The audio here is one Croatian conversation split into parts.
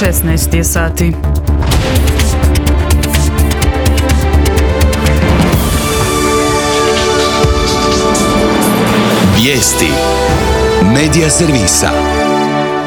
16 je sati. Vijesti Medija servisa.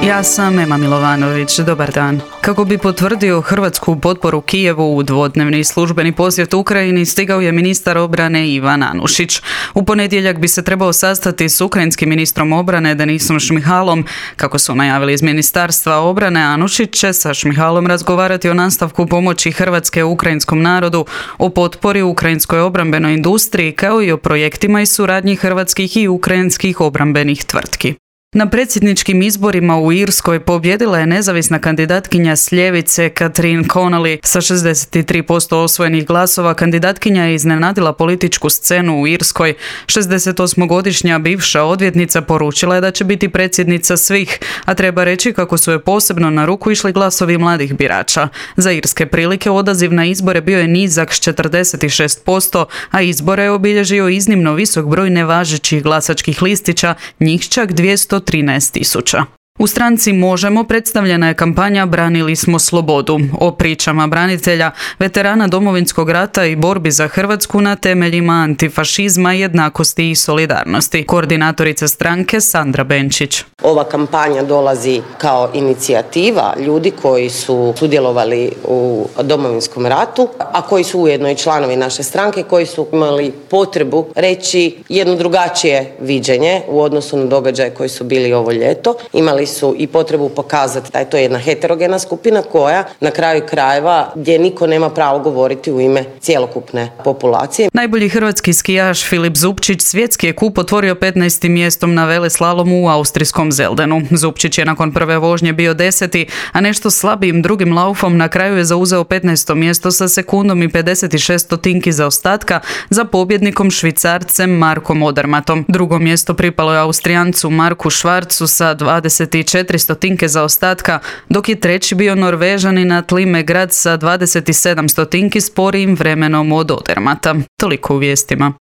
Ja sam Ema Milovanović, dobar dan. Kako bi potvrdio hrvatsku potporu Kijevu u dvodnevni službeni posjet Ukrajini, stigao je ministar obrane Ivan Anušić. U ponedjeljak bi se trebao sastati s ukrajinskim ministrom obrane Denisom Šmihalom. Kako su najavili iz Ministarstva obrane, Anušić će sa Šmihalom razgovarati o nastavku pomoći Hrvatske ukrajinskom narodu, o potpori ukrajinskoj obrambenoj industriji, kao i o projektima i suradnji hrvatskih i ukrajinskih obrambenih tvrtki. Na predsjedničkim izborima u Irskoj pobjedila je nezavisna kandidatkinja s ljevice Catherine Connolly. Sa 63% osvojenih glasova kandidatkinja je iznenadila političku scenu u Irskoj. 68-godišnja bivša odvjetnica poručila je da će biti predsjednica svih, a treba reći kako su je posebno na ruku išli glasovi mladih birača. Za irske prilike odaziv na izbore bio je nizak s 46%, a izbore je obilježio iznimno visok broj nevažećih glasačkih listića, njih čak 213.000. U stranci Možemo predstavljena je kampanja Branili smo slobodu, o pričama branitelja, veterana Domovinskog rata i borbi za Hrvatsku na temeljima antifašizma, jednakosti i solidarnosti. Koordinatorica stranke Sandra Benčić. Ova kampanja dolazi kao inicijativa ljudi koji su sudjelovali u Domovinskom ratu, a koji su ujedno i članovi naše stranke, koji su imali potrebu reći jedno drugačije viđenje u odnosu na događaje koji su bili ovo ljeto. Imali su i potrebu pokazati da je to jedna heterogena skupina koja na kraju krajeva gdje niko nema pravo govoriti u ime cjelokupne populacije. Najbolji hrvatski skijaš Filip Zupčić svjetski je kup otvorio 15. mjestom na veleslalomu u austrijskom Zeldenu. Zupčić je nakon prve vožnje bio 10., a nešto slabijim drugim laufom na kraju je zauzeo 15. mjesto sa sekundom i 56 stotinki zaostatka za pobjednikom Švicarcem Markom Odermatom. Drugo mjesto pripalo je Austrijancu Marku Švarcu sa 24 stotinke zaostatka, dok je treći bio Norvežanin Atle Grad sa 27 stotinki sporijim vremenom od Odermata. Toliko u vijestima.